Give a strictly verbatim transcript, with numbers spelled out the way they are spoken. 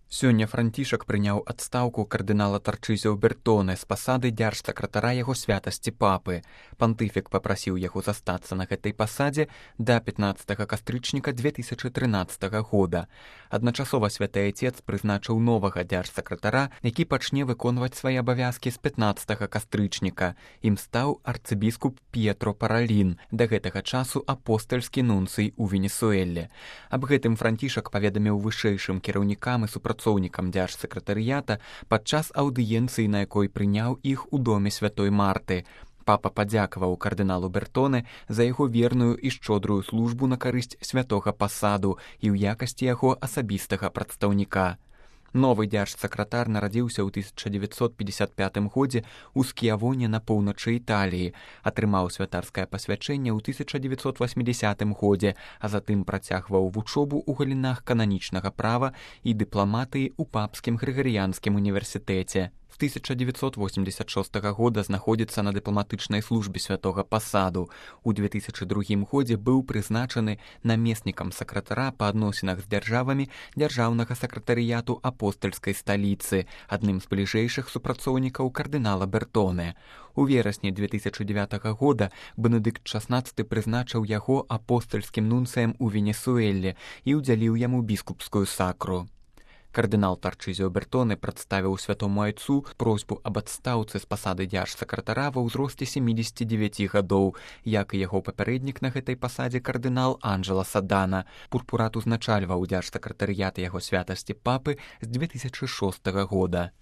Сёння Францішак прыняў адстаўку кардынала Тарчызіо Бертоне з пасады дзяржсакратара яго святасці папы. Пантыфік папрасіў яго застацца на гэтай пасадзе да пятнаццатага кастрычніка дзве тысячы трынаццатага года. Адначасова святы айцец прызначыў новага дзяржсакратара, які пачне выконваць свае абавязкі з пятнаццатага кастрычніка. Ім стаў арцыбіскуп П'етро Паралін, да гэтага часу апостальскі нунцый у Венесуэле. Аб гэтым Францішак паведаміў вышэйшым кіраўнікам і супрацоўнікам супрацоўнікам дзяржсакратарыята падчас аўдыенцыі, на якой прыняў іх у доме святой Марты. Папа падзякаваў кардыналу Бертоне за яго верную і шчодрую службу на карысць святога пасаду і ў якасці яго асабістага прадстаўніка. Новы дзяржсакратар нарадзіўся ў тысяча дзевяцьсот пятьдесят пятым годзе ў Скіявоне на поўначы Італіі, атрымаў святарскае пасвячэнне ў тысяча дзевяцьсот восьмідзясятым годзе, а затым працягваў вучобу ў галінах кананічнага права і дыпламатыі ў папскім грыгарыянскім універсітэце. З тысяча дзевяцьсот восемьдесят шостага года знаходзіцца на дыпламатычнай службе святога пасаду. У две тысячы другім годзе быў прызначаны намеснікам сакратара па адносінах з дзяржавамі дзяржаўнага сакратарыяту апостальскай сталіцы, адным з бліжэйшых супрацоўнікаў кардынала Бертоне. У верасні две тысячы дзевятага года Бенедыкт шаснаццаты прызначыў яго апостальскім нунцыем у Венесуэле і ўдзяліў яму біскупскую сакру. Кардынал Тарчызіо Бертоне прадставіў святому айцу просьбу аб адстаўцы з пасады дзяржсакратара ва ўзросце семідзесяці дзевяці гадоў, як і яго папярэднік на гэтай пасадзе кардынал Анджела Садана. Пурпурат узначальваў дзяржсакратарыят яго святасці папы з две тысячы шостага года.